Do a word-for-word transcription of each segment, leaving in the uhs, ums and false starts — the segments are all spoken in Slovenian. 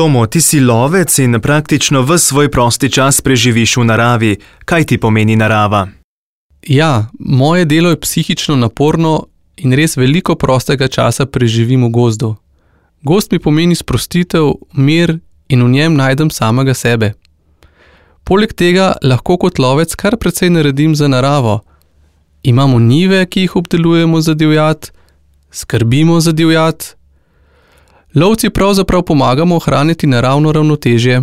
Tomo, ti si lovec in praktično ves svoj prosti čas preživiš v naravi. Kaj ti pomeni narava? Ja, moje delo je psihično naporno in res veliko prostega časa preživim v gozdu. Gozd mi pomeni sprostitev, mir in v njem najdem samega sebe. Poleg tega lahko kot lovec kar precej naredim za naravo. Imamo njive, ki jih obdelujemo za divjad, skrbimo za divjad. Lovci pravzaprav pomagamo ohraniti naravno ravnotežje.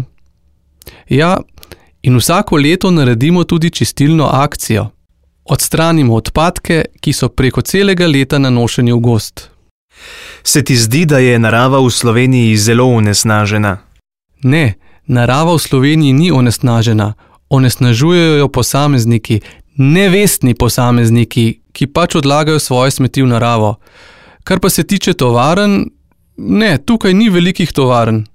Ja, in vsako leto naredimo tudi čistilno akcijo. Odstranimo odpadke, ki so preko celega leta nanošeni v gozd. Se ti zdi, da je narava v Sloveniji zelo onesnažena? Ne, narava v Sloveniji ni onesnažena. Onesnažujejo jo posamezniki, nevestni posamezniki, ki pač odlagajo svoje smeti v naravo. Kar pa se tiče tovarn, ne, tukaj ni velikih tovarn.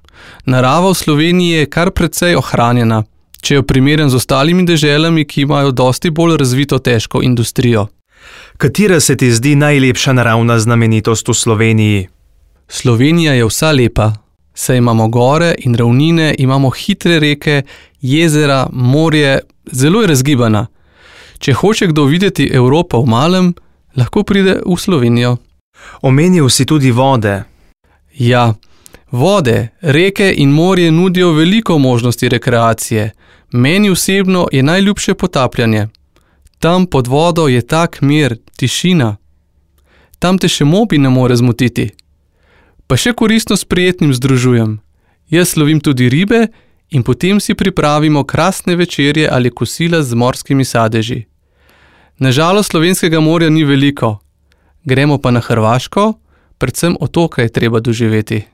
Narava v Sloveniji je kar precej ohranjena, če jo primerjam z ostalimi deželami, ki imajo dosti bolj razvito težko industrijo. Katera se ti zdi najlepša naravna znamenitost v Sloveniji? Slovenija je vsa lepa. Saj imamo gore in ravnine, imamo hitre reke, jezera, morje, zelo je razgibana. Če hoče kdo videti Evropo v malem, lahko pride v Slovenijo. Omenil si tudi vode. Ja, vode, reke in morje nudijo veliko možnosti rekreacije. Meni osebno je najljubše potapljanje. Tam pod vodo je tak mir, tišina. Tam te še mobi ne more zmotiti. Pa še koristno s prijetnim združujem. Jaz lovim tudi ribe in potem si pripravimo krasne večerje ali kosila z morskimi sadeži. Nažalost slovenskega morja ni veliko. Gremo pa na Hrvaško, predvsem otoke je treba doživeti.